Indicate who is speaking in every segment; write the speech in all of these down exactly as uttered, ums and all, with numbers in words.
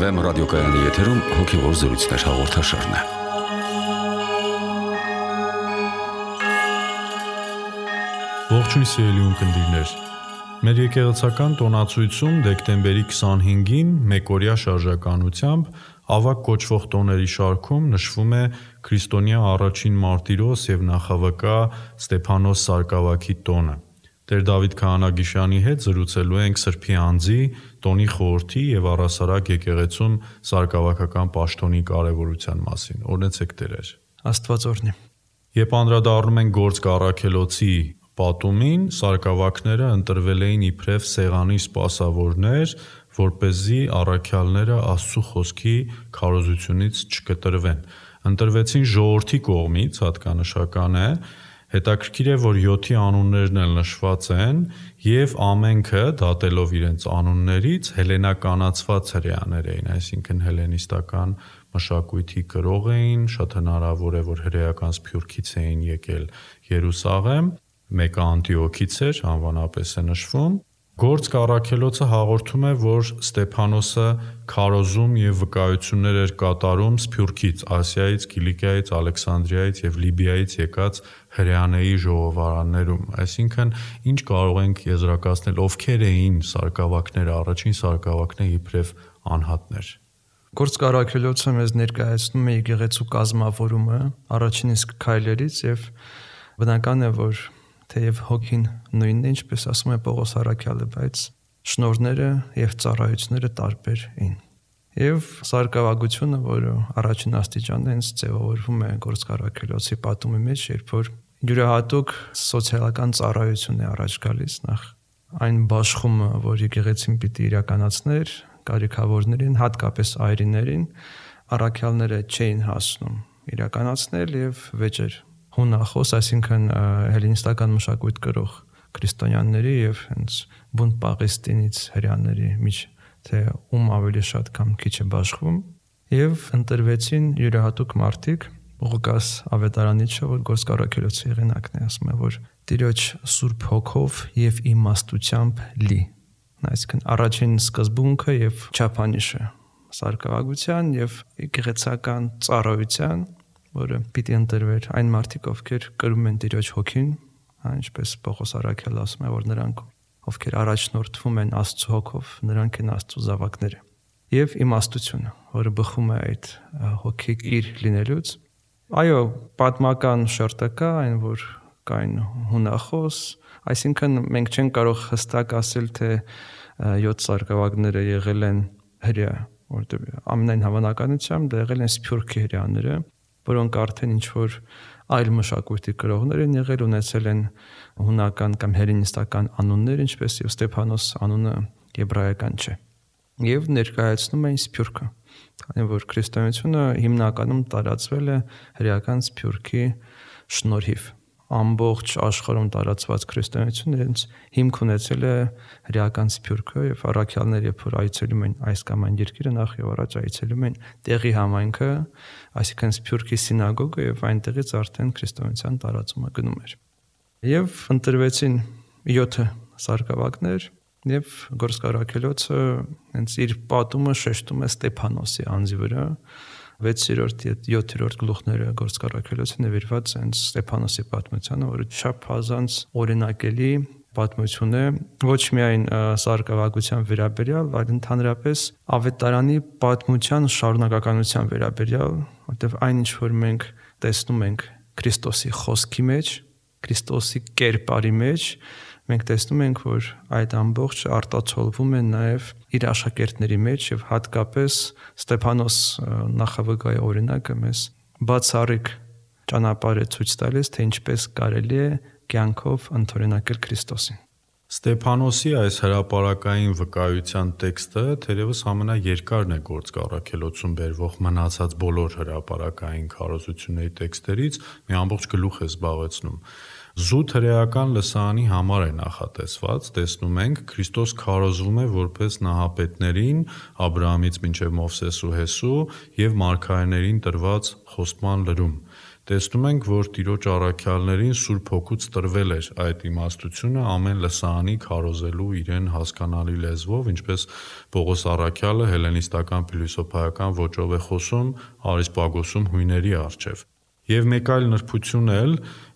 Speaker 1: Բեթլեհեմ ռադիոկայանի եթերում հոգևոր զրույցներ հաղորդաշարն է։
Speaker 2: Ողջույն սիրելի ունկնդիրներ։ Մեր եկեղեցական տոնացույցում դեկտեմբերի քսանհինգին մեկօրյա շարժականությամբ ավագ կոչվող տոների շարքում նշվում է քրիստոնյա առաջին մարտիրոս եւ նախավկա Ստեփանոս Սարգսակի տոնը։ Տեր Դավիթ Քահանագիշյանի հետ զրուցելու ենք Սրբի անձի, տոնի խորհրդի եւ առասարակ եկեղեցում սարգսակական պաշտոնի կարեւորության մասին։ Օրհնեցեք Տերեր։
Speaker 3: Աստված օրհնի։
Speaker 2: Երբ անդրադառնում ենք Գործք առաքելոցի պատումին, սարգսակները ընտրվել էին իբրև սեղանի սպասավորներ, որպեսզի առաքյալները Աստծո խոսքի քարոզությունից չկտրվեն։ Ընտրվեցին ժողովրդի կողմից, հատկանշական է, հետաքրքիր է, որ յոթի անուններն էլ նշված են եւ ամենքը դատելով իրենց անուններից հելենականացված հրեաներ էին, այսինքն հելենիստական մշակույթի կրող էին, շատ հնարավոր է, որ հրեական սփյուռքից էին եկել Երուսաղեմ, մեկը Անտիոքից էր, անվանապես է նշվում։ Գործք առաքելոցը հաղորդում է, որ Ստեփանոսը քարոզում եւ վկայություններ էր կատարում Սփյուռքից, Ասիայից, Կիլիկիայից, Ալեքսանդրիայից եւ Լիբիայից եկած հրեաների ժողովարաններում։ Այսինքն, ինչ կարող ենք եզրակացնել, ովքեր էին սարգսակները, առաջին սարգսակները իբրև անհատներ։
Speaker 3: Գործք առաքելոցը մեզ ներկայացնում է եկեղեցու կազմավորումը առաջին իսկ քայլերից եւ բնական է, որ թեև հոգին նույնն է, ինչպես ասում է Պողոս առաքյալը, բայց շնորհները եւ ծառայությունները տարբեր էին։ Եվ սարգսակությունը, որը առաջին աստիճանն է, հենց ձևավորվում է Գործք առաքելոցի պատումի մեջ, երբ որ յուրահատուկ սոցիալական ծառայություն է առաջ գալիս, նախ այն բաշխումը, որ եկեղեցին պիտի իրականացներ կարիքավորներին, հատկապես այրիներին, առաքյալները չէին հասնում իրականացնել եւ վեճեր հունախոս, այսինքն հելինիստական մշակույթ կրող քրիստոնյաների եւ հենց բուն Պաղեստինից հրեաների միջ թե ում ավելի շատ կամ քիչ է բաշխվում եւ ընտրվեցին յուրահատուկ մարդիկ Ղուկաս ավետարանիչը, որ Գործք առաքելոցի եղանակն է, ասում է, որ Տիրոջ Սուրբ Հոգով եւ իմաստությամբ լի, այսինքն առաջին սկզբունքը եւ չափանիշը սարգսակության եւ եկեղեցական ծառայության, որը պիտի ընտրվեր այն մարդիկ, ովքեր կրում են Տիրոջ Հոգին, ինչպես Պողոս առաքյալը ասում է, որ նրանք, ովքեր առաջնորդվում են Աստծո Հոգով, նրանք են Աստծո զավակները։ Եվ իմաստությունը, որը բխում է այդ հոգի իր լինելուց։ Այո, պատմական շերտը կա, այն որ կային հունախոս, այսինքն մենք չենք կարող հստակ ասել, թե յոթ սարգսակները եղել են հրեա, որտեղ ամենայն հավանականությամբ դա եղել են սփյուռքի հրեաները, որոնք արդեն ինչ որ այլ մշակույթի կրողներ են եղել, ունեցել են հունական կամ հելինիստական անուններ, ինչպես եւ Ստեփանոս անունը եբրայական չէ։ Եվ ներկայացնում էին Սփյուռքը, քանի որ քրիստոնեությունը հիմնականում տարածվել է հրեական Սփյուռքի շնորհիվ։ Ամբողջ աշխարհում տարածված քրիստոնեությունը հենց հիմք ունեցել է հրեական Սփյուռքը եւ առաքյալները, երբ որ այցելում են այս կամ այն երկիրը, նախ եւ առաջ այցելում են տեղի համայնքը, այսինքն Սփյուռքի սինագոգը եւ այնտեղից արդեն քրիստոնեության տարածումը գնում էր։ Եվ ընտրվեցին յոթ սարգսակներ եւ Գործք առաքելոցը հենց իր պատումը շեշտում է Ստեփանոսի անձի վրա։ վեցերորդ եւ յոթերորդ գլուխները Գործք առաքելոցը նվիրված են Ստեփանոսի պատմությանը, որը չափազանց օրինակելի պատմություն է, ոչ միայն սարգսակության վերաբերյալ, այլ ընդհանրապես ավետարանի պատմության շարունակականության վերաբերյալ, որտեղ այն ինչ որ մենք տեսնում ենք Քրիստոսի խոսքի մեջ, Քրիստոսի կերպարի մեջ, մենք տեսնում ենք, որ այդ ամբողջը արտացոլվում է նաև իր աշակերտների մեջ եւ հատկապես Ստեփանոս նախավկայի օրինակը մեզ բացառիկ ճանապարհ է ցույց տալիս, թե ինչպես կարելի է կյանքով ընդօրինակել Քրիստոսին։
Speaker 2: Ստեփանոսի այս հրապարակային վկայության տեքստը թերևս ամենաերկարն է Գործք առաքելոցում բերվող մնացած բոլոր հրապարակային քարոզությունների տեքստերից, մի ամբողջ գլուխ է զբաղեցնում։ Զուտ հրեական լսարանի համար է նախատեսված, տեսնում ենք, Քրիստոս քարոզվում է որպես նահապետներին, Աբրահամից մինչև Մովսես ու Հեսու եւ մարգարեներին տրված խոստման լրում։ տեսնում ենք, որ Տիրոջ առաքյալներին Սուրբ Հոգուց տրվել էր այդ իմաստությունը ամեն լսարանի քարոզելու իրեն հասկանալի լեզվով, ինչպես Պողոս առաքյալը հելլենիստական փիլիսոփայական ոճով է խոսում Արիսպագոսում հույների առջև։ Եվ մեկ այլ նրբություն էլ,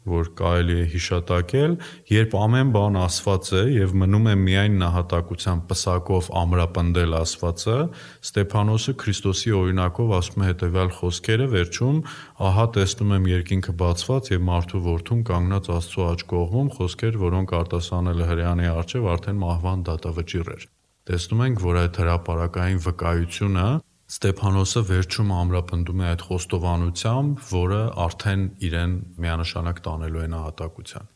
Speaker 2: որ կարելի է հիշատակել, երբ ամեն բան ասված է եւ մնում է միայն նահատակության պսակով ամրապնդել ասվածը, Ստեփանոսը Քրիստոսի օրինակով ասում է հետեւյալ խոսքերը վերջում. ահա տեսնում եմ երկինքը բացված եւ մարդու որդուն կանգնած Աստծո աջ կողմում, խոսքեր, որոնք արտասանել է հրեանի առջև արդեն մահվան դատավճիռ էր։ Տեսնում ենք, որ այդ հրապարակային վկայությունը Ստեփանոսը վերջում ամրապնդում է այդ խոստովանությամբ, որը արդեն իրեն միանշանակ տանելու է նահատակության։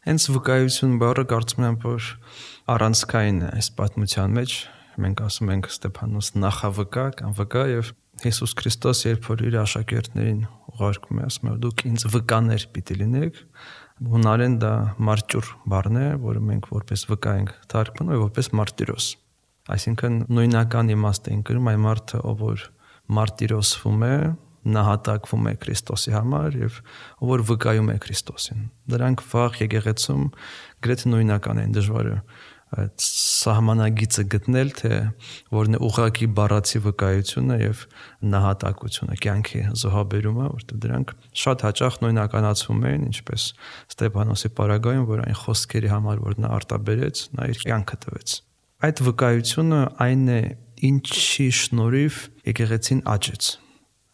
Speaker 3: Հենց վկայություն բառը կարծում եմ, որ առանցքային է այս պատմության մեջ։ Մենք ասում ենք Ստեփանոս նախավկա կամ վկա եւ Հիսուս Քրիստոս երբ որ իր աշակերտներին ուղարկում է, ասում է դուք ինձ վկաներ պիտի լինեք։ Հունարեն դա մարճուր բառն է, որը մենք որպես վկա ենք թարգմանում եւ որպես մարտիրոս։ Այսինքն նույնական իմաստ են կրում այն մարդը, ով որ մարտիրոսվում է, նահատակվում է Քրիստոսի համար եւ ով որ վկայում է Քրիստոսին։ Դրանք վաղ եկեղեցում գրեթե նույնական են, դժվար է այդ սահմանագիծը գտնել, թե որն է ուղղակի բառացի վկայությունը եւ նահատակությունը, կյանքի զոհաբերումը, որտեղ դրանք շատ հաճախ նույնականացվում են, ինչպես Ստեփանոսի պարագայում, որ այն խոսքերի համար, որ նա արտաբերեց, նա իր կյանքը տվեց։ Այդ վկայությունը այն է, ինչի շնորհիվ եկեղեցին աճեց։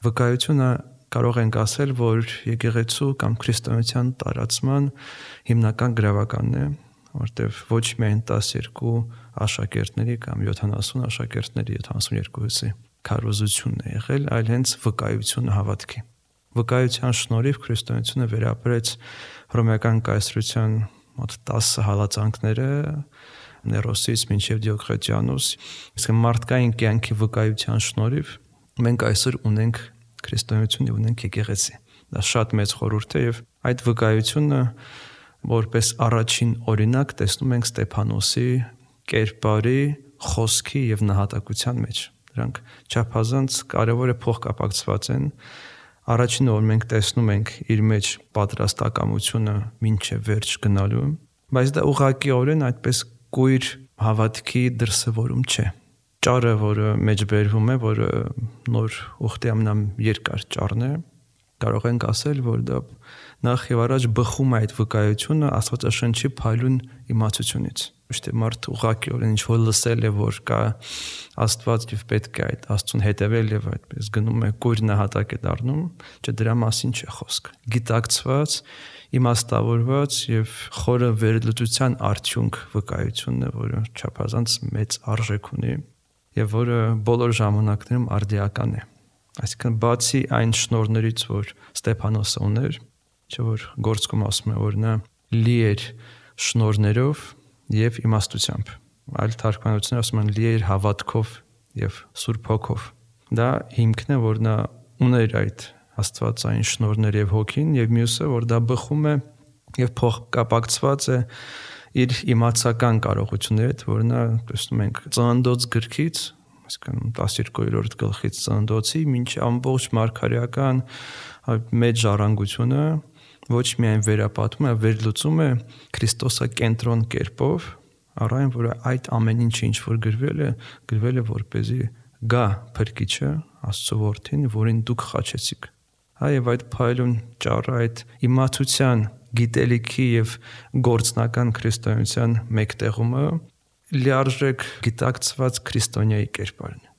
Speaker 3: Վկայությունը կարող ենք ասել, որ եկեղեցու կամ քրիստոնեության տարածման հիմնական գրավականն է, որտեղ ոչ միայն տասներկու աշակերտների կամ յոթանասուն աշակերտների յոթանասունյոթի քարոզությունն է եղել, այլ հենց վկայությունը հավատքի։ Վկայության շնորհիվ քրիստոնեությունը վերապրեց հռոմեական կայսրության մոտ տասը հալածանքները Ներոսից մինչև Դիոկլետիանոս, իսկ մարդկային կյանքի վկայության շնորհիվ մենք այսօր ունենք քրիստոնեություն եւ ունենք եկեղեցի։ Դա շատ մեծ խորհուրդ է եւ այդ վկայությունը որպես առաջին օրինակ տեսնում ենք Ստեփանոսի կերպարի, խոսքի եւ նահատակության մեջ։ Դրանք չափազանց կարեւոր է փոխկապակցված են։ Առաջինը, որ մենք տեսնում ենք իր մեջ պատրաստակամությունը մինչև վերջ գնալու, բայց դա ուղղակիորեն այդպես կույր հավատքի դրսևորում չէ։ Ճառը, որը մեջ բերվում է, որը նոր ուխտի ամենաերկար ճառն է, կարող ենք ասել, որ դա նախ եւ առաջ բխում է այդ վկայությունը Աստվածաշնչի փայլուն իմացությունից։ Ոչ թե մարդ ուղղակիորեն ինչ որ լսել է, որ կա Աստված եւ պետք է այդ Աստծուն հետևել եւ այդպես գնում է կույր նահատակ է դառնում, չէ դրա մասին չէ խոսք։ Գիտակցված, իմաստավորված եւ խորը վերլուծության արդյունք վկայությունն է, որը չափազանց մեծ արժեք ունի եւ որը բոլոր ժամանակներում արդիական է։ Այսինքն բացի այն շնորհներից, որ Ստեփանոսը ուներ, չէ որ գործքում ասում է, որ նա լի էր շնորհներով եւ իմաստությամբ։ Այլ թարգմանություններ ասում են լի էր հավատքով եւ Սուրբ Հոգով։ Դա հիմքն է, որ նա ուներ այդ աստվածային շնորհներ եւ հոգին, եւ մյուսը, որ դա բխում է եւ փոխկապակցված է իր իմացական կարողությունների հետ, որ նա տեսնում ենք ծննդոց գրքից, այսինքն տասներկուերորդ գլխից ծննդոցի մինչ ամբողջ մարգարեական մեծ ժառանգությունը ոչ միայն վերապատում է, վերլուծում է քրիստոսակենտրոն կերպով, առայն որ այդ ամեն ինչը ինչ որ գրվել է, գրվել է որպեսզի գա փրկիչը, Աստծո որդին, որին դուք խաչեցիք։ Հա եւ այդ փայլուն ճառը, այդ իմացության, գիտելիքի եւ գործնական քրիստոնեության մեկտեղումը լիարժեք գիտակցված քրիստոնյայի կերպարն է,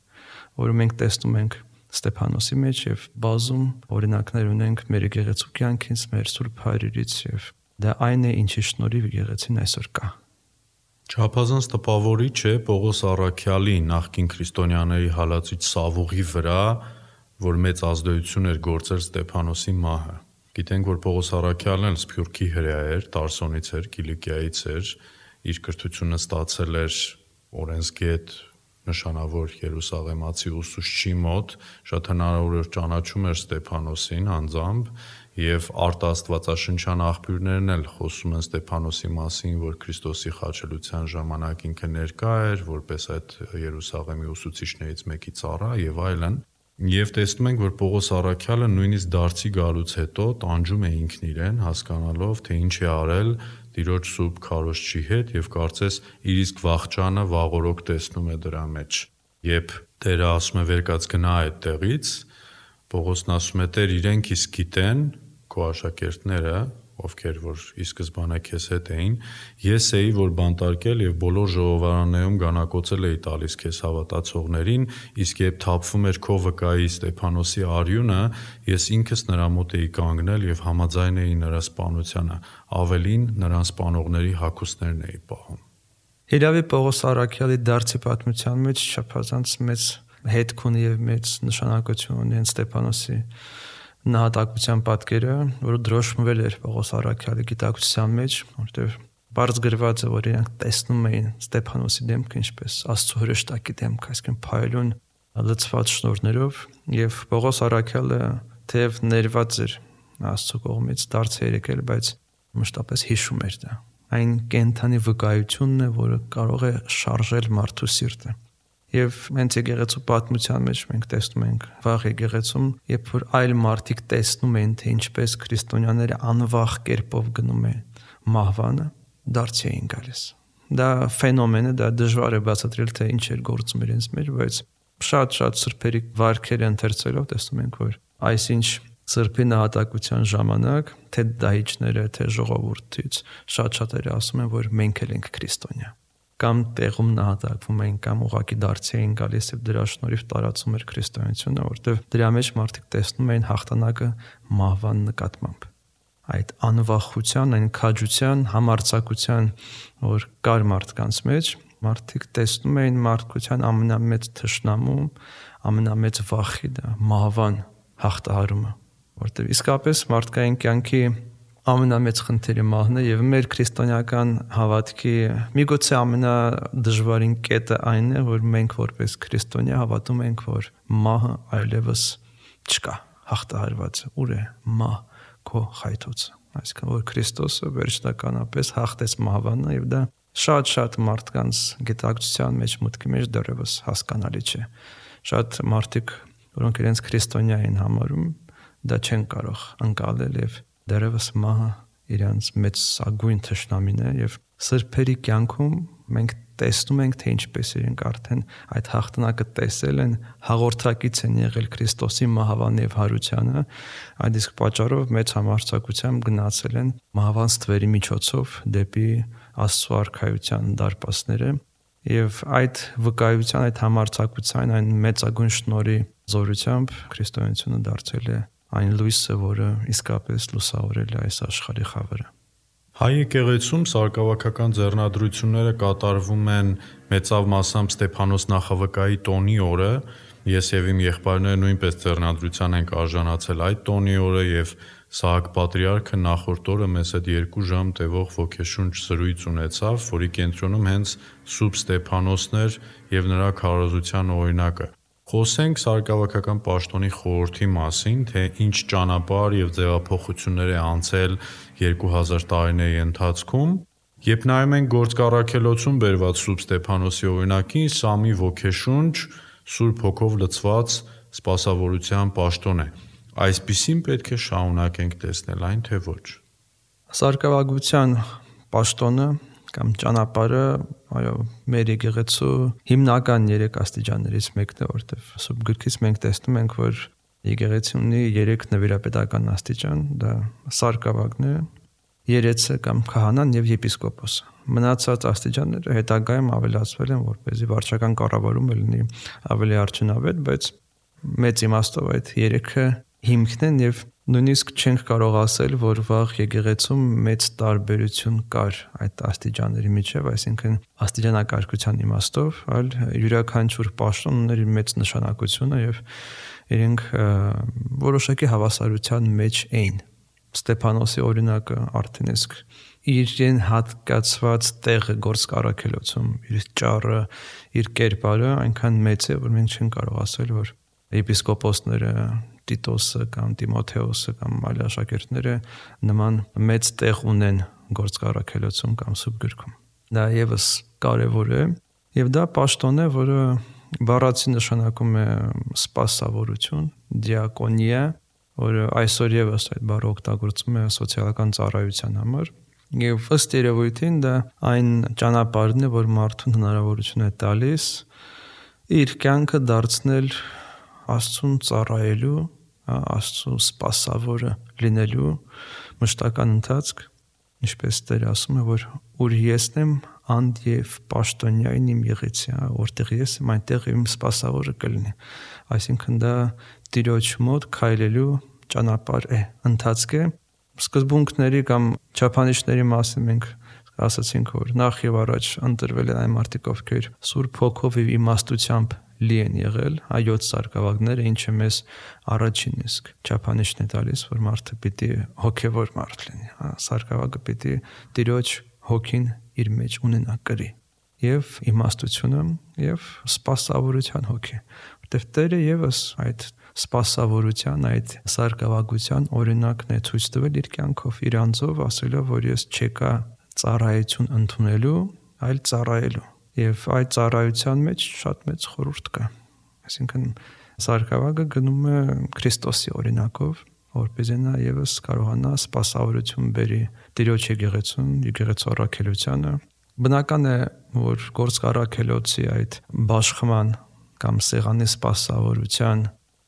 Speaker 3: որը մենք տեսնում ենք Ստեփանոսի մեջ եւ բազում օրինակներ ունենք մեր եկեղեցու կյանքից, մեր Սուրբ Հայրերից եւ դա այն է, ինչի շնորհիվ եկեղեցին այսօր կա։
Speaker 2: Չափազանց տպավորիչ է Պողոս առաքյալի նախկին քրիստոնյաների հալածիչ սավուղի վրա, որ մեծ ազդեցություն էր գործել Ստեփանոսի մահը։ Գիտենք, որ Պողոս առաքյալն էլ Սփյուռքի հրեա էր, Տարսոնից էր, Կիլիկիայից էր, իր կրթությունը ստացել էր օրենսգետ նշանավոր Երուսաղեմացի ուսուցչի մոտ, շատ հնարավոր ճանաչում էր Ստեփանոսին անձամբ եւ արտաստվածաշնչյան աղբյուրներն էլ խոսում են Ստեփանոսի մասին, որ Քրիստոսի խաչելության ժամանակ ինքը ներկա էր, որպես այդ Երուսաղեմի ուսուցիչներից մեկի ծառա եւ այլն։ Եվ տեսնում ենք, որ Պողոս առաքյալը նույնիսկ դարձի գալուց հետո տանջում է ինքն իրեն, հասկանալով, թե ինչ է արել Տիրոջ սուրբ քարոզչի հետ եւ կարծես իր իսկ վախճանը վաղորոք տեսնում է դրա մեջ։ Երբ Տերը ասում է վերկաց գնա այդ տեղից, Պողոսն ասում է Տեր իրենք իսկ գիտեն, քո աշակերտները, ովքեր որ ի սկզբանե քեզ հետ էին, ես էի որ բանտարկել եւ բոլոր ժողովարաններում գանակոծել էի տալիս քեզ հավատացողներին, իսկ երբ թափվում էր քո վկայի Ստեփանոսի արյունը, ես ինքս նրա մոտ էի կանգնել եւ համաձայն էի նրա սպանությանը, ավելին նրան սպանողների հագուստներն էի պահում։
Speaker 3: Հիրավի Պողոս առաքյալի դարձի պատմության մեջ չափազանց մեծ հետք ունի եւ մեծ նշանակություն ունի Ստեփանոսի նահատակության պատկերը, որը դրոշմվել էր Պողոս առաքյալի գիտակցության մեջ, որտեղ բարձ գրված է, որ իրենք տեսնում էին Ստեփանոսի դեմքը ինչպես Աստծո հրեշտակի դեմքը, այսինքն փայլուն լցված շնորհներով, եւ Պողոս առաքյալը թեև ներված էր Աստծո կողմից դարձ է եկել, բայց մշտապես հիշում էր դա։ Այն կենթանի վկայությունն է, որը կարող է շարժել մարդու սիրտը։ Եվ հենց եկեղեցու պատմության մեջ մենք տեսնում ենք վաղ եկեղեցում, երբ որ այլ մարդիկ տեսնում են, թե ինչպես քրիստոնյաները անվախ կերպով գնում են մահվանը, դարձի էին գալիս։ Դա ֆենոմեն է, դա դժվար է բացատրել, թե ինչ էր գործում իրենց մեջ, բայց շատ-շատ սրբերի վարքերը ընթերցելով տեսնում ենք, որ այսինչ սրբի նահատակության ժամանակ թե դահիճները, թե ժողովուրդից շատ-շատերը ասում են, որ մենք էլ ենք քրիստոնյա։ Կամ տեղում նահատակվում էին, կամ ուղակի դարձի էին գալիս եւ դրա շնորհիվ տարածում էր քրիստոնեությունը, որտեղ դրա մեջ մարդիկ տեսնում էին հաղթանակը մահվան նկատմամբ։ Այդ անվախության, այն քաջության, համարձակության, որ կար մարդկանց մեջ, մարդիկ տեսնում էին մարդկության ամենամեծ թշնամու, ամենամեծ վախի դա մահվան հաղթահարումը, որտեղ իսկապես մարդկային կյանքի ամենամեծ խնդիրը մահն է եւ մեր քրիստոնեական հավատքի միգուցե ամենադժվարին կետը այն է, որ մենք որպես քրիստոնյա հավատում ենք, որ մահը այլևս չկա, հաղթահարված է, ուր է մահ քո խայթոցը, այսինքն որ Քրիստոսը վերջնականապես հաղթեց մահվանը եւ դա շատ-շատ մարդկանց գիտակցության մեջ մտքի մեջ դեռևս հասկանալի չէ։ Շատ մարդիկ, որոնք իրենց քրիստոնյա են համարում, դա չեն կարող ընկալել եւ դեռևս մահը իրանց մեծ սագույն թշնամին է եւ սրբերի կյանքում մենք տեսնում ենք, թե ինչպես իրենք արդեն այդ հաղթանակը տեսել են, հաղորդակից են եղել Քրիստոսի մահվան եւ հարությանը, այդ իսկ պատճառով մեծ համարձակությամբ գնացել են մահվան ստվերի միջոցով դեպի Աստծո արքայության դարպասները եւ այդ վկայության, այդ համարձակության, այն մեծագույն շնորհի զորությամբ քրիստոնեությունը դարձել է այն լույսը, որը իսկապես լուսավորել է այս աշխարհի խավերը։
Speaker 2: Հայ եկեղեցում սարկավաքական ձեռնադրությունները կատարվում են մեծավ մասամբ Ստեփանոս նախավկայի տոնի օրը, ես եւ իմ եղբայրները նույնպես ձեռնադրության ենք արժանացել այդ տոնի օրը եւ Սահակ պատրիարքը նախորդ օրը մեզ հետ երկու ժամ տևող ոգեշունչ զրույց ունեցավ, որի կենտրոնում հենց Սուրբ Ստեփանոսն էր եւ նրա քարոզության օրինակը։ Խոսենք սարկավաքական պաշտոնի խորհրդի մասին, թե ինչ ճանապարհ եւ ձևափոխություններ է անցել երկու հազար տարիների ընթացքում, երբ նայում ենք գործառաքելոցում բերված Սուրբ Ստեփանոսի օրինակին, սա մի ոգեշունչ, Սուրբ Հոգով լցված սպասավորության պաշտոն է։ Այսպիսին պետք է շարունակենք տեսնել այն, թե ոչ։
Speaker 3: Սարկավագության պաշտոնը կամ ճանապարհը, այո, մեր եկեղեցու հիմնական երեք աստիճաններից մեկն է, որտեղ Սուրբ Գրքից մենք տեսնում ենք, որ եկեղեցին ունի երեք նվիրապետական աստիճան, դա սարկավագն է, երեցը կամ քահանան եւ եպիսկոպոսը։ Մնացած աստիճանները հետագայում ավելացվել են, որպեսզի վարչական կառավարումը լինի ավելի արդյունավետ, բայց մեծ իմաստով այդ երեքը հիմքն են եւ նույնիսկ չենք կարող ասել, որ վաղ եկեղեցում մեծ տարբերություն կար այդ աստիճանների միջև, այսինքն աստիճանակարգության իմաստով, այլ յուրաքանչյուր պաշտոն ուներ իր մեծ նշանակությունը եւ իրենք որոշակի հավասարության մեջ էին։ Ստեփանոսի օրինակը արդեն իսկ իրեն հատկացված տեղը գործառաքելոցում, իր ճառը, իր կերպարը այնքան մեծ է, որ մենք չենք կարող ասել, որ եպիսկոպոսները Տիտոսը կամ Տիմոթեոսը կամ այլ աշակերտները նման մեծ տեղ ունեն գործառաքելոցում կամ Սուրբ Գրքում։ Դա եւս կարեւոր է եւ դա պաշտոն է, որը բառացի նշանակում է սպասավորություն, դիակոնիա, որը այսօր եւս այդ բառը օգտագործում է սոցիալական ծառայության համար։ Եվ ըստ երևույթին դա այն ճանապարհն է, որ մարդուն հնարավորություն է տալիս իր կյանքը դարձնել Աստծուն ծառայելու, Աստծու սպասավորը լինելու մշտական ընթացք, ինչպես Տերը ասում է, որ ուր եսն եմ անդ եւ պաշտոնյային իմ եղեցի, որտեղ ես եմ, այնտեղ իմ սպասավորը կլինի։ Այսինքն դա Տիրոջ մոտ քայլելու ճանապարհ է, ընթացք է։ Սկզբունքների կամ չափանիշների մասին մենք ասացինք, որ նախ եւ առաջ ընտրվել են այն մարդիկ, ովքեր Սուրբ Հոգով եւ իմաստությամբ լի են եղել, այոց սարկավագները, ինչը մեզ առաջին իսկ չափանիշն է տալիս, որ մարդը պիտի հոգևոր մարդ լինի, սարկավագը պիտի Տիրոջ հոգին իր մեջ ունենա կրի, եւ իմաստությունը եւ սպասավորության հոգի, որտեղ Տերը եւս այդ սպասավորության, այդ սարկավագության օրինակն է ցույց տվել իր կյանքով, իր անձով, ասելով, որ ես չեկա ծառայություն ընդունելու, այլ ծառայելու։ Եվ այդ ծառայության մեջ շատ մեծ խորհուրդ կա։ Այսինքն սարկավագը գնում է Քրիստոսի օրինակով, որպեսզի նա եւս կարողանա սպասավորություն բերի Տիրոջ եկեղեցուն, եկեղեցու առաքելությանը։ Բնական է, որ գործառաքելոցի այդ բաշխման կամ սեղանի սպասավորության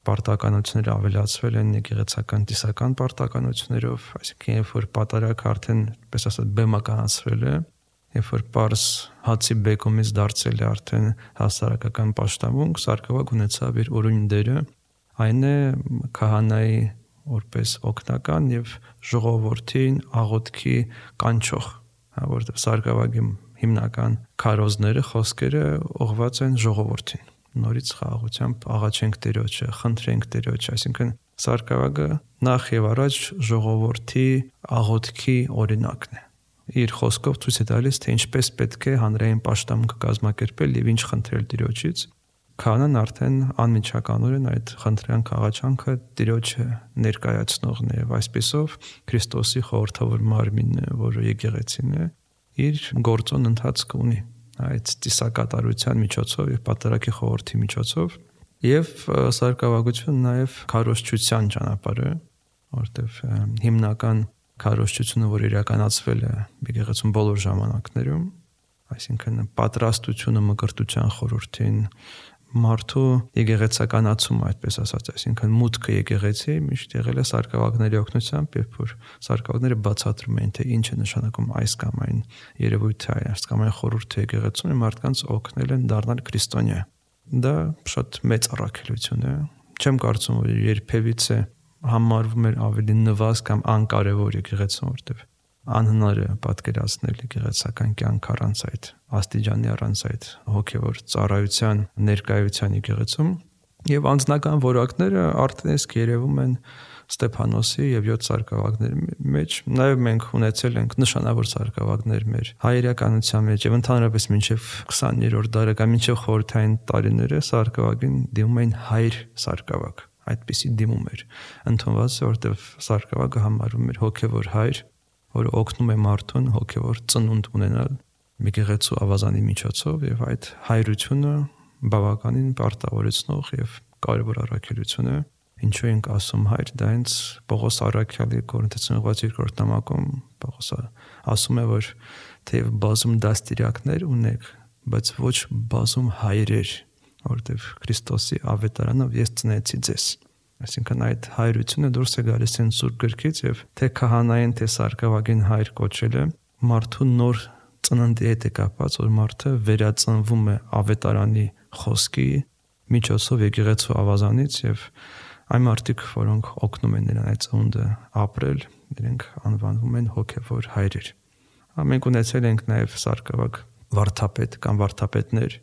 Speaker 3: պարտականությունները ավելացվել են եկեղեցական տիսական պարտականություններով, այսինքն երբ որ պատարագը արդեն, պես ասած, բեմականացվել է, երբ որ պարզ հացի բեկումից դարձել է արդեն հասարակական պաշտամունք, սարկավագ ունեցավ իր ուրույն դերը, այն է քահանայի որպես օգնական եւ ժողովրդին աղոթքի կանչող, որտեղ սարկավագի հիմնական քարոզները, խոսքերը ուղղված են ժողովրդին։ Նորից խաղաղությամբ աղաչենք Տիրոջը, խնդրենք Տիրոջը, այսինքն սարկավագը նախ եւ առաջ ժողովրդի աղոթքի օրինակն է։ Իր խոսքով ցույց է տալիս, թե ինչպես պետք է հանրային պաշտամունք կազմակերպել եւ ինչ խնդրել Տիրոջից։ Քահանան արդեն անմիջականորեն այդ խնդրանք աղաչանքը Տիրոջը ներկայացնողն է եւ այսպեսով Քրիստոսի խորհրդավոր մարմինն է, որը եկեղեցին է, իր գործոն ընթացք ունի այդ ծիսակատարության միջոցով եւ պատարագի խորհրդի միջոցով եւ սարկավագությունը նաեւ քարոզչության ճանապարհ է, որտեւ հիմնական քարոզչությունը, որ իրականացվել է եկեղեցուն բոլոր ժամանակներում, այսինքն պատրաստությունը մկրտության խորհրդին, մարդու եկեղեցականացումը, այդպես ասած, այսինքն մուտքը եկեղեցի միշտ եղել է սարկավագների օգնությամբ, երբ որ սարկավագները բացատրում էին, թե ինչ է նշանակում այս կամ այն երևույթը, այս կամ այն խորհուրդը եկեղեցուն, մարդկանց օգնել են դառնալ քրիստոնյա։ Դա շատ մեծ առաքելություն է։ Չեմ կարծում, որ երբևիցե համարվում էր ավելի նվազ կամ անկարևոր եկեղեցում, որտեղ անհնար է պատկերացնել եկեղեցական կյանք առանց այդ աստիճանի, առանց այդ հոգևոր ծառայության ներկայության եկեղեցում, եւ անձնական որակները արդեն իսկ երևում են Ստեփանոսի եւ յոթ սարկավագների մեջ։ Նաեւ մենք ունեցել ենք նշանավոր սարկավագներ մեր հայրականության մեջ եւ ընդհանրապես մինչեւ քսաներորդ դարը կամ մինչեւ խորհրդային տարիները սարկավագին դիմում էին հայր սարկավագ, այդպիսի դիմում էր ընդունված, որտեղ սարկավագը համարվում էր հոգևոր հայր, որը օգնում է մարդուն հոգևոր ծնունդ ունենալ եկեղեցու ավազանի միջոցով եւ այդ հայրությունը բավականին պարտավորեցնող եւ կարևոր առաքելություն է։ Ինչու ենք ասում հայր, դա հենց Պողոս առաքյալի Կորինթացիներին ուղղված երկրորդ նամակում Պողոսը ասում է, որ թեև բազում դաստիարակներ ունեք, բայց ոչ բազում հայրեր, որովհետեւ Քրիստոսի ավետարանով ես ծնեցի ձեզ։ Այսինքն այդ հայրությունը դուրս է գալիս են Սուրբ գրքից եւ թե քահանային, թե սարկավագին հայր կոչելը մարդու նոր ծննդի հետ է կապված, որ մարդը վերածնվում է ավետարանի խոսքի միջոցով եկեղեցու ավազանից եւ այն մարդիկ, որոնք օգնում են նրան այդ ծնունդը ապրել, իրենք անվանվում են հոգևոր հայրեր։ Մենք ունեցել ենք նաեւ սարկավագ վարդապետ կամ վարդապետներ,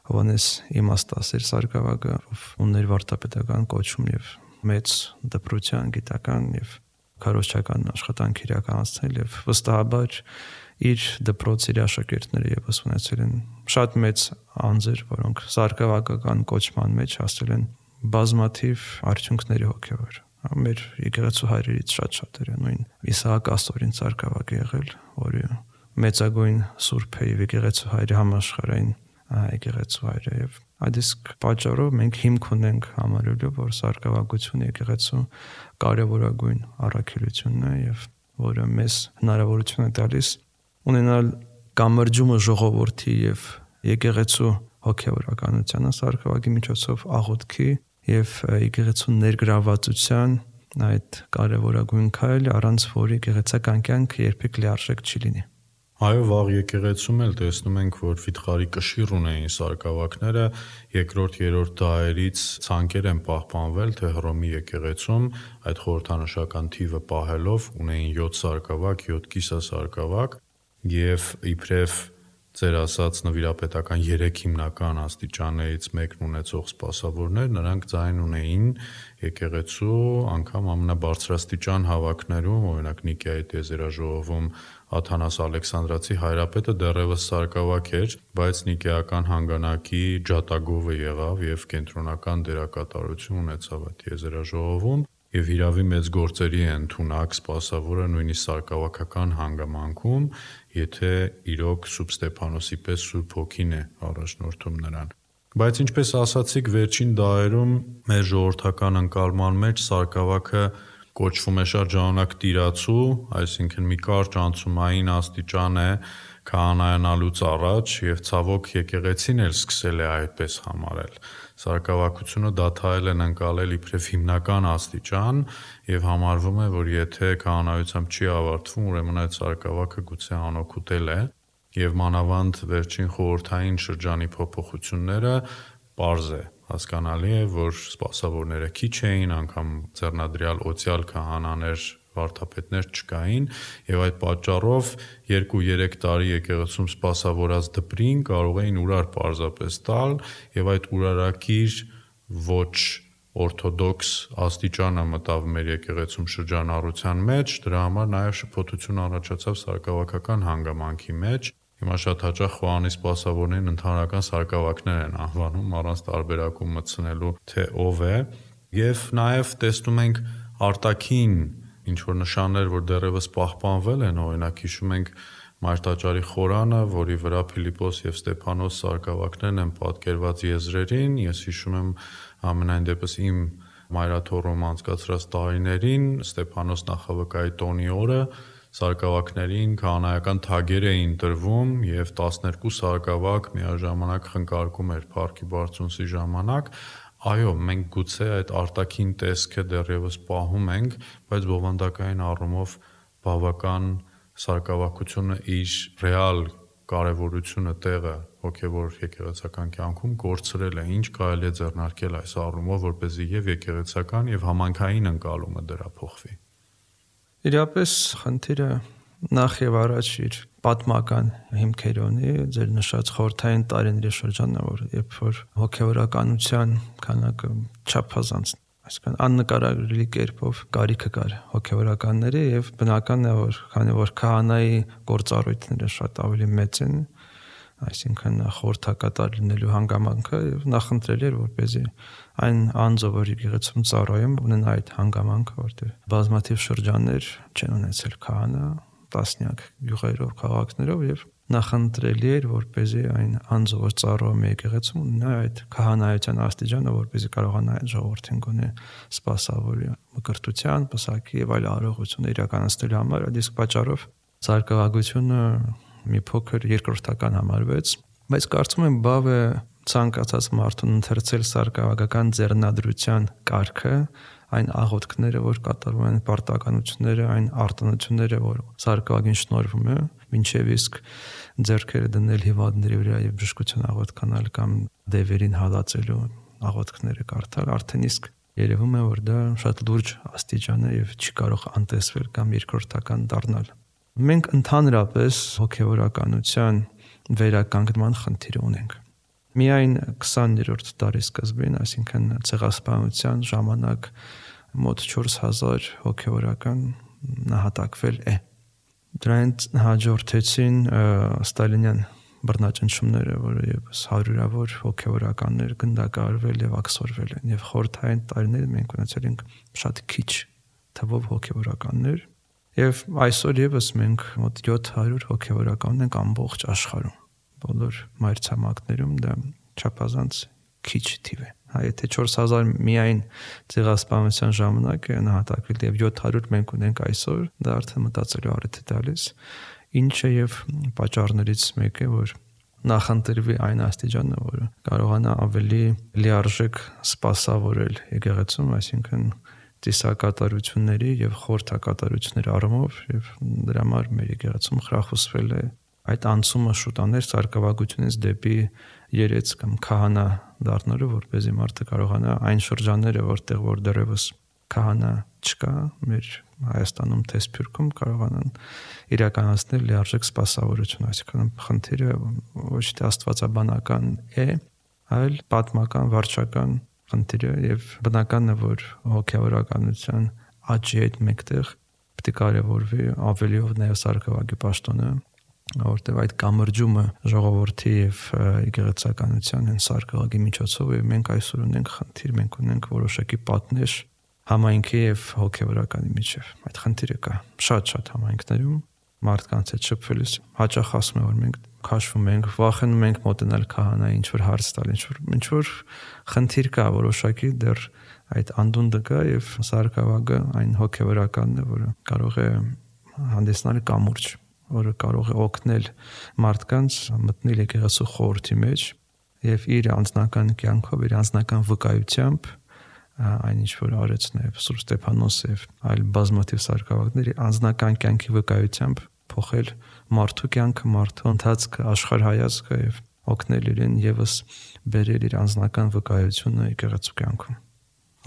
Speaker 3: Հովանես իմաստասեր սարկավագը, ով ուներ վարդապետական կոչում եւ մեծ դպրության, գիտական եւ քարոզչական աշխատանք իրականացնել եւ վստահաբար իր դպրոցի աշակերտները եւս ունեցել են շատ մեծ անձեր, որոնք սարկավագական կոչման մեջ հասել են բազմաթիվ արդյունքների հոգևոր։ Մեր եկեղեցու հայրերից շատ շատերը նույն Իսահակ Աստորին սարկավագ եղել, որը մեծագույն սուրբ է եկեղեցու հայրի համաշխարհային եկեղեցու հայրը եւ այդ իսկ պատճառով մենք հիմք ունենք համարելու, որ սարկավագությունը եկեղեցու կարևորագույն առաքելությունն է եւ որը մեզ հնարավորություն է տալիս ունենալ կամրջումը ժողովրդի եւ եկեղեցու հոգեվորականությանը սարկավագի միջոցով աղոթքի եւ եկեղեցու ներգրավվածության այդ կարևորագույն քայլը, առանց որի եկեղեցական կյանքը երբեք լիարժեք չի լինի։
Speaker 2: Այո, վաղ եկեղեցում էլ տեսնում ենք, որ վիթխարի կշիռ ունեին սարկավակները, երկրորդ, երրորդ դարերից ցանկեր են պահպանվել, թե Հռոմի եկեղեցում այդ խորհրդանշական թիվը պահելով ունեին յոթ սարկավակ, յոթ կիսասարկավակ եւ իբրև ձեր ասած նվիրապետական երեք հիմնական աստիճաններից մեկն ունեցող սպասավորներ, նրանք ձայն ունեին եկեղեցու անգամ ամենաբարձրաստիճան հավաքներում, օրինակ Նիկեայի տիեզերաժողովում Աթանաս Ալեքսանդրացի հայրապետը դեռևս սարկավակ էր, բայց նիկեական հանգանակի ջատագովը եղավ եւ կենտրոնական դերակատարություն ունեցավ այդ տիեզերաժողովում եւ հիրավի մեծ գործերի է ընդունակ սպասավորը նույնիսկ սարկավակական հանգամանքում, եթե իրոք Սուրբ Ստեփանոսի պես Սուրբ Հոգին է առաջնորդում նրան։ Բայց ինչպես ասացիք, վերջին դարերում մեր ժողովրդական ընկալման մեջ սարկավակը կոչվում է շատ ժամանակ տիրացու, այսինքն մի կարճ անցումային աստիճան է քահանայանալուց առաջ եւ ցավոք եկեղեցին էլ սկսել է այդպես համարել։ Սարկավակությունը դադարել են ընկալել իբրև հիմնական աստիճան եւ համարվում է, որ եթե քահանայությամբ չի ավարտվում, ուրեմն այդ սարկավակը գուցե անօգուտել է եւ մանավանդ վերջին խորհրդային շրջանի փոփոխությունները պարզ է հասկանալի է, որ սպասավորները քիչ էին, անգամ ձեռնադրյալ օցիալ քահանաներ, վարդապետներ չկային եւ այդ պատճառով երկու-երեք տարի եկեղեցում սպասավորած դպրին կարող էին ուրար պարզապես տալ եւ այդ ուրարակիր ոչ օրթոդոքս աստիճանը մտավ մեր եկեղեցում շրջանառության մեջ, դրա համար նաեւ շփոթություն առաջացավ սարկավակական հանգամանքի մեջ։ Հիմա շատ հաճախ Խոհանի սպասավորներին ընդհանրական սարկավակներ են անվանում առանց տարբերակում մտցնելու թե ով է եւ նաեւ տեսնում ենք արտաքին ինչ որ նշաններ, որ դեռևս պահպանվել են, օրինակ հիշում ենք Մարտաճարի խորանը, որի վրա Փիլիպոս եւ Ստեփանոս սարկավակներն են պատկերված եզրերին, ես հիշում եմ ամենայն դեպս իմ մայրաթոռում անցկացրած տարիներին Ստեփանոս նախավկայի տոնի օրը սարկավակներին քահանայական թագեր էին տրվում եւ տասներկու սարկավակ միաժամանակ խնկարկում էր Փառքի Բարձունցի ժամանակ։ Այո, մենք գուցե այդ արտաքին տեսքը դեռևս պահում ենք, բայց բովանդակային առումով բավական սարկավակությունը իր ռեալ կարևորությունը տեղը հոգևոր եկեղեցական կյանքում կորցրել է, ինչ կարելի է ձեռնարկել այս առումով, որպեսզի եւ եկեղեցական եւ համայնքային ընկալումը դրա փոխվի։
Speaker 3: Իրապես խնդիրը նախ եւ առաջ իր պատմական հիմքեր ունի, ձեր նշած խորհրդային տարիների շրջանը, որ երբ որ հոգևորականության քանակը չափազանց, այսինքն աննկարագրելի կերպով կարիքը կար հոգևորականների եւ բնական է, որ քանի որ քահանայի գործառույթները շատ ավելի մեծ են, այսինքն խորհրդակատար լինելու հանգամանքը եւ նախընտրելի էր, որպեսզի այն անձը, որ եկեղեցում ծառայում, ունենա այդ հանգամանքը, որտեղ բազմաթիվ շրջաններ չեն ունեցել քահանա, տասնյակ գյուղերով, քաղաքներով եւ նախընտրելի էր, որպեսզի այն անձը, որ ծառայում է եկեղեցում, ունենա այդ քահանայության աստիճանը, որպեսզի կարողանա այդ ժողովրդին գոնե սպասավորի մկրտության, պսակի եւ այլ արարողություն իրականացնելու համար, այդ իսկ պատճառով սարկավագությունը մի փոքր երկրորդական համարվեց, բայց կարծում եմ բավ է ցանկացած մարդուն ընթերցել սարկավագական ձեռնադրության կարգը, այն աղոթքները, որ կատարվում են, պարտականությունները, այն արտոնությունները, որ սարկավագին շնորհվում է, մինչև իսկ ձեռքերը դնել հիվանդների վրա եւ բժշկություն աղոթքանալ կամ դևերին հալածելու աղոթքները կարդալ, արդեն իսկ երևում է, որ դա շատ լուրջ աստիճան է եւ չի կարող անտեսվել կամ երկրորդական դառնալ։ Մենք ընդհանրապես հոգևորականության վերականգնման խնդիր ունենք։ Միայն քսաներորդ դարի սկզբին, այսինքն ցեղասպանության ժամանակ մոտ չորս հազար հոգևորական նահատակվել է։ Դրանց հաջորդեցին ստալինյան բռնաճնշումները, որը եւս հարյուրավոր հոգևորականներ գնդակահարվել եւ աքսորվել են, եւ խորհրդային տարիներին մենք ունեցել ենք շատ քիչ թվով հոգևորականներ, եւ այսօր եւս մենք մոտ յոթ հարյուր հոգևորական ենք ամբողջ աշխարհում։ բոլոր մայրցամաքներում դա չափազանց քիչ թիվ է։ Հա, եթե չորս հազար միայն ցեղասպանության ժամանակ է նահատակվել եւ յոթ հարյուր մենք ունենք այսօր, դա արդեն մտածելու առիթ է տալիս, ինչը եւ պատճառներից մեկը, որ նախընտրվի այն աստիճանը, որը կարողանա ավելի լիարժեք սպասավորել եկեղեցում, այսինքն ծիսակատարությունների եւ խորհրդակատարությունների առումով, եւ դրա համար մեր եկեղեցում խրախուսվել է այդ անցումը շուտաներ սարկավագությունից դեպի երեց կամ քահանա դառնալու, որպեսզի մարդը կարողանա այն շրջանները, որտեղ որ դեռևս քահանա չկա, մեր Հայաստանում թե Սփյուռքում կարողանան իրականացնել լիարժեք սպասավորություն, այսինքն խնդիրը ոչ թե աստվածաբանական է, այլ պատմական, վարչական խնդիրը եւ բնականն է, որ հոգեվորականության աճի հետ մեկտեղ պետք է կարևորվի ավելիով նաեւ սարկավագի պաշտոնը, որտեղ այդ կամրջումը ժողովրդի եւ եկեղեցականության են սարկավագի միջոցով եւ մենք այսօր ունենք խնդիր, մենք ունենք որոշակի պատնեշ համայնքի եւ հոգեվորականի միջև։ Այդ խնդիրը կա շատ-շատ համայնքներում, մարդկանց հետ շփվելիս հաճախ ասում եմ, որ մենք քաշվում ենք, վախենում ենք մոտենալ քահանայի, ինչ որ հարց տալ, ինչ որ ինչ որ խնդիր կա որոշակի, դեռ այդ անդունդը կա եւ սարկավագը այն հոգեվորականն է, որը կարող է հանդիսանալ կամուրջ, որը կարող է օգնել մարդկանց մտնել եկեղեցու խորհրդի մեջ եւ իր անձնական կյանքով, իր անձնական վկայությամբ այն ինչ որ արեց նաեւ Սուրբ Ստեփանոսը եւ այլ բազմաթիվ սարկավագների անձնական կյանքի վկայությամբ փոխել մարդու կյանքը, մարդու ընթացքը, աշխարհայացքը եւ օգնել իրեն եւս բերել իր անձնական վկայությունը եկեղեցու կյանքում։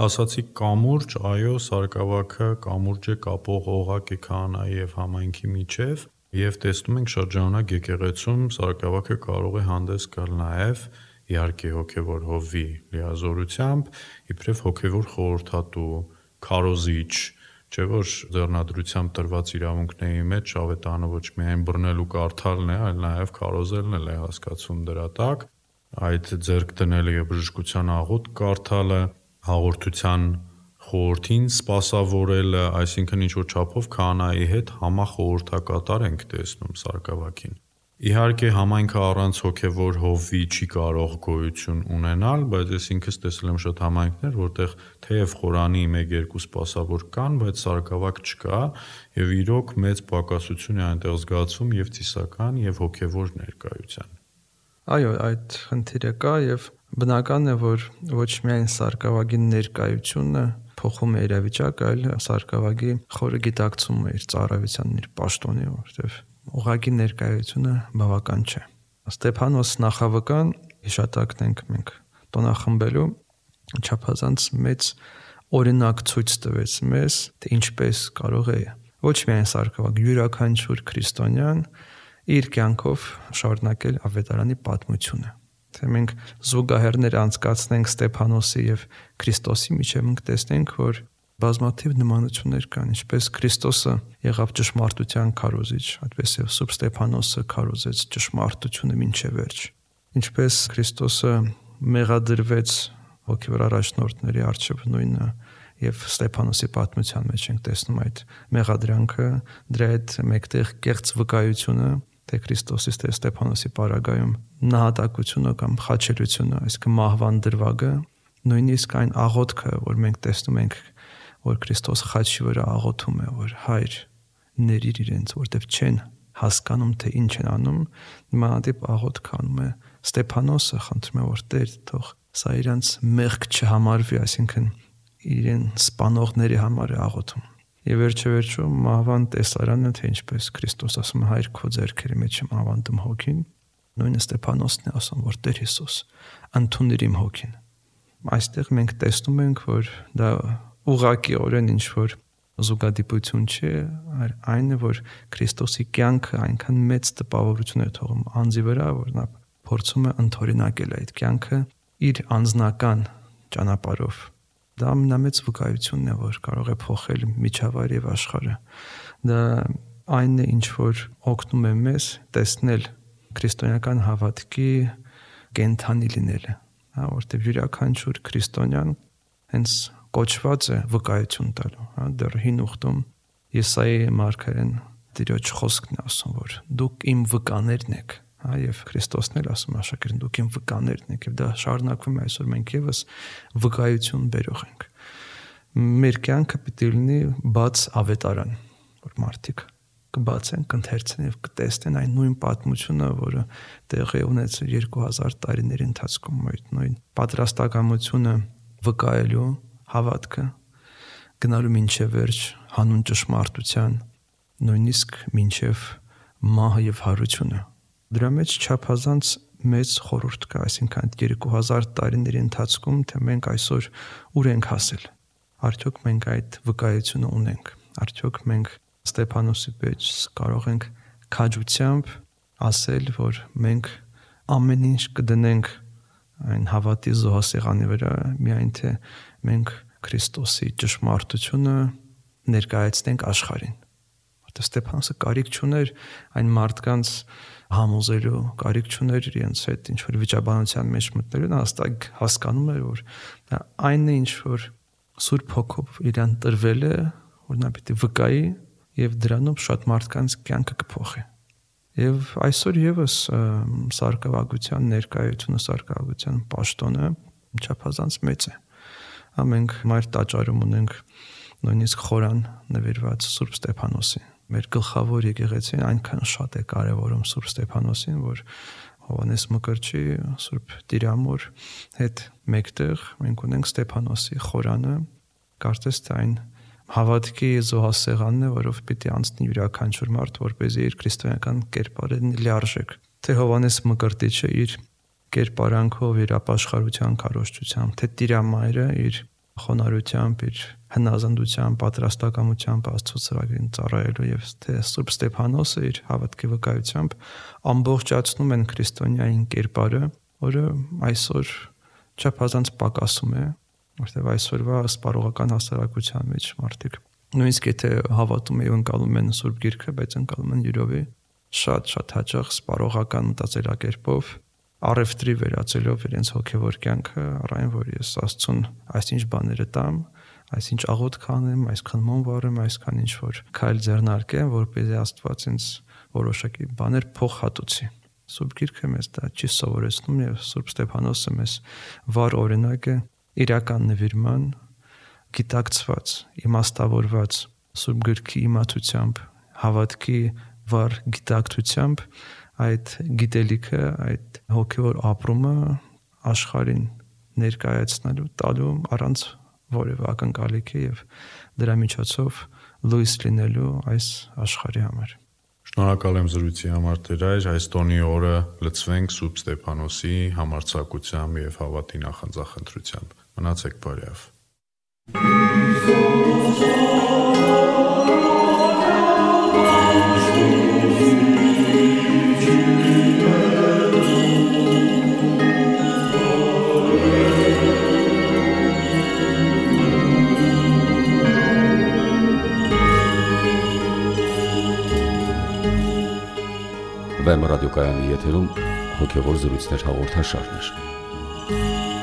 Speaker 2: Ասացի կամուրջ, այո, սարկավագը կամուրջ է կապող օղակ է քահանայի եւ համայնքի միջև եւ տեսնում ենք շրջանակ եկեղեցում սարկավագը կարող է հանդես գալ նաեւ իհարկե հոգևոր հովվի լիազորությամբ, իբրև հոգևոր խորհրդատու, քարոզիչ, չէ՞ որ ձեռնադրությամբ տրված իրավունքների մեջ ավետարանը ոչ միայն բռնել ու կարդալն է, այլ նաև քարոզելն էլ է հասկացում դրա տակ, այդ ձեռք դնելը եւ բժշկության աղոթք կարդալը, հաղորդության խորհրդին սպասավորելը, այսինքն ինչ որ չափով քահանայի հետ համախորհրդակատար ենք տեսնում սարկավագին։ Իհարկե համայնքը առանց հոգևոր հովվի չի կարող գոյություն ունենալ, բայց ես ինքս տեսել եմ շատ համայնքներ, որտեղ թեև Խորանի մեկ-երկու սպասավոր կան, բայց սարկավագ չկա, եւ իրոք մեծ պակասություն է այնտեղ զգացվում եւ ծիսական եւ հոգևոր ներկայության։
Speaker 3: Այո, այդ խնդիրը կա եւ բնական է, որ ոչ միայն սարկավագի ներկայությունը փոխում է իրավիճակը, այլ սարկավագի խորը գիտակցումը իր ծառայության, իր պաշտոնի, որտեղ ուղղակի ներկայությունը բավական չէ։ Ստեփանոս նախավկան հիշատակն ենք մենք տոնախմբելու չափազանց մեծ օրինակ ցույց տվեց մեզ, թե ինչպես կարող է ոչ միայն սարկավագ յուրաքանչյուր քրիստոնյան իր կյանքով շարունակել ավետարանի պատմությունը։ Թե մենք զուգահեռներ անցկացնենք Ստեփանոսի եւ Քրիստոսի միջև, մենք տեսնենք, որ բազմաթիվ նմանություններ կան, ինչպես Քրիստոսը եղավ ճշմարտության քարոզիչ, այդպես եւ Սուրբ Ստեփանոսը քարոզեց ճշմարտությունը մինչև վերջ։ Ինչպես Քրիստոսը մեղադրվեց հոգևոր առաջնորդների առջև նույնը եւ Ստեփանոսի պատմության մեջ ենք տեսնում այդ մեղադրանքը, դրա հետ մեկտեղ կեղծ վկայությունը, թե Քրիստոսի թե Ստեփանոսի պարագայում նահատակությունը կամ խաչելությունը, այսինքն մահվան դրվագը, նույնիսկ այն աղոթքը, որ մենք տեսնում ենք, որ Քրիստոս խաչի վրա աղոթում է, որ Հայր ներիր իրենց, որտեվ չեն հասկանում, թե ինչ են անում, նմանատիպ աղոթք անում է Ստեփանոսը, խնդրում է, որ Տեր, թող սա իրանց մեղք չհամարվի, այսինքն իրեն սպանողների համար է աղոթում։ Եվ վերջը-վերջո մահվան տեսարանը, թե ինչպես Քրիստոս ասում է, Հայր քո ձեռքերի մեջ եմ ավանդում հոգին, նույնը Ստեփանոսն է ասում, որ Տեր Հիսուս, ընդունիր իմ հոգին։ Այստեղ մենք տեսնում ենք, որ դա ուղղակիորեն ինչ որ զուգադիպություն չէ, այլ այն է, որ Քրիստոսի կյանքը այնքան մեծ տպավորություն է թողում անձի վրա, որ նա փորձում է ընդօրինակել այդ կյանքը իր անձնական ճանապարհով։ Դա ամենամեծ վկայությունն է, որ կարող է փոխել միջավայրը եւ աշխարհը։ Դա այն է, ինչ որ օգնում է մեզ տեսնել քրիստոնեական հավատքի կենթանի լինելը, հա, որտեղ յուրաքանչյուր քրիստոնյան հենց կոչված է վկայություն տալու, հա, դեռ հին ուխտում Եսայի մարգարեն Տիրոջ խոսքն է ասում, որ դուք իմ վկաներն եք, հա, եւ Քրիստոսն էլ ասում աշակերտին դուք իմ վկաներն եք, եւ դա շարունակվում է այսօր մենք եւս վկայություն բերող ենք։ Մեր կյանքը պիտի լինի բաց ավետարան, որ մարդիկ կբացեն, կընթերցեն եւ կտեսնեն այն նույն պատմությունը, որը տեղի ունեցել երկու հազար տարիների ընթացքում, այդ նույն պատրաստակամությունը վկայելու հավատքը գնալու մինչև վերջ հանուն ճշմարտության, նույնիսկ մինչև մահը եւ հարությունը։ Դրա մեջ չափազանց մեծ խորհուրդ կա, այսինքն այդ երկու հազար տարիների ընթացքում, թե մենք այսօր ուր ենք հասել։ Արդյոք մենք այդ վկայությունը ունենք։ Արդյոք մենք Ստեփանոսի պես կարող ենք քաջությամբ ասել, որ մենք ամեն ինչ կդնենք այն հավատի զոհասեղանի վրա, միայն թե մենք Քրիստոսի ճշմարտությունը ներկայացնենք աշխարհին։ Որտեղ Ստեփանոսը կարիք չուներ այն մարդկանց համոզելու, կարիք չուներ իրենց հետ ինչ որ վիճաբանության մեջ մտնելու, նա հստակ հասկանում էր, որ դա այն է, ինչ որ Սուրբ Հոգով իրան տրվել է, որ նա պիտի վկայի եւ դրանով շատ մարդկանց կյանքը կփոխի։ Եվ այսօր եւս սարկավագության ներկայությունը, սարկավագության պաշտոնը չափազանց մեծ է։ Մենք մայր տաճարում ունենք նույնիսկ խորան նվիրված Սուրբ Ստեփանոսին։ Մեր գլխավոր եկեղեցին այնքան շատ է կարևորում Սուրբ Ստեփանոսին, որ Հովհաննես Մկրտչի Սուրբ Տիրամոր հետ մեկտեղ մենք ունենք Ստեփանոսի խորանը, կարծես թե այն հավատքի զոհասեղանն է, որով պիտի անցնի յուրաքանչյուր մարդ, որպեսզի իր քրիստոնեական կերպարը լիարժեք։ Թե Հովհաննես Մկրտիչը իր կերպարանքով, իր ապաշխարության քարոզչությամբ, թե Տիրամայրը իր խոնարհությամբ, իր հնազանդությամբ, պատրաստակամությամբ Աստծո ծրագրին ծառայելու եւ թե Սուրբ Ստեփանոսը իր հավատքի վկայությամբ ամբողջացնում են քրիստոնեային կերպարը, որը այսօր չափազանց պակասում է, որտեղ այսօրվա սպառողական հասարակության մեջ մարդիկ նույնիսկ եթե հավատում են ու ընկալում են Սուրբ Գիրքը, բայց ընկալում են յուրովի շատ-շատ հաճախ սպառողական մտածելակերպով, առևտրի վերածելով իրենց հոգևոր կյանքը, առայն որ ես Աստծուն այսինչ բաները տամ, այսինչ աղոթք անեմ, այսքան մոմ վառեմ, այսքան ինչ որ քայլ ձեռնարկեմ, որպեսզի Աստված ինձ որոշակի բաներ փոխհատուցի։ Սուրբ Գիրքը մեզ դա չի սովորեցնում եւ Սուրբ Ստեփանոսը մեզ վառ օրինակ է իրական նվիրման, գիտակցված, իմաստավորված Սուրբ Գրքի իմացությամբ, հավատքի վառ գիտակցությամբ այդ գիտելիքը, այդ հոգևոր ապրումը աշխարհին ներկայացնելու, տալու առանց որևէ ակնկալիքի եւ դրա միջոցով լույս լինելու այս աշխարհի համար։
Speaker 2: Շնորհակալ եմ զրույցի համար Տեր, այս տոնի օրը լցվենք Սուրբ Ստեփանոսի համարձակությամբ եւ հավատի նախանձախնդրությամբ։ Մնացեք բարյավ։
Speaker 1: Վեմ ռադիոկայանի եթերում հոգևոր զրույցներ հաղորդաշարներ։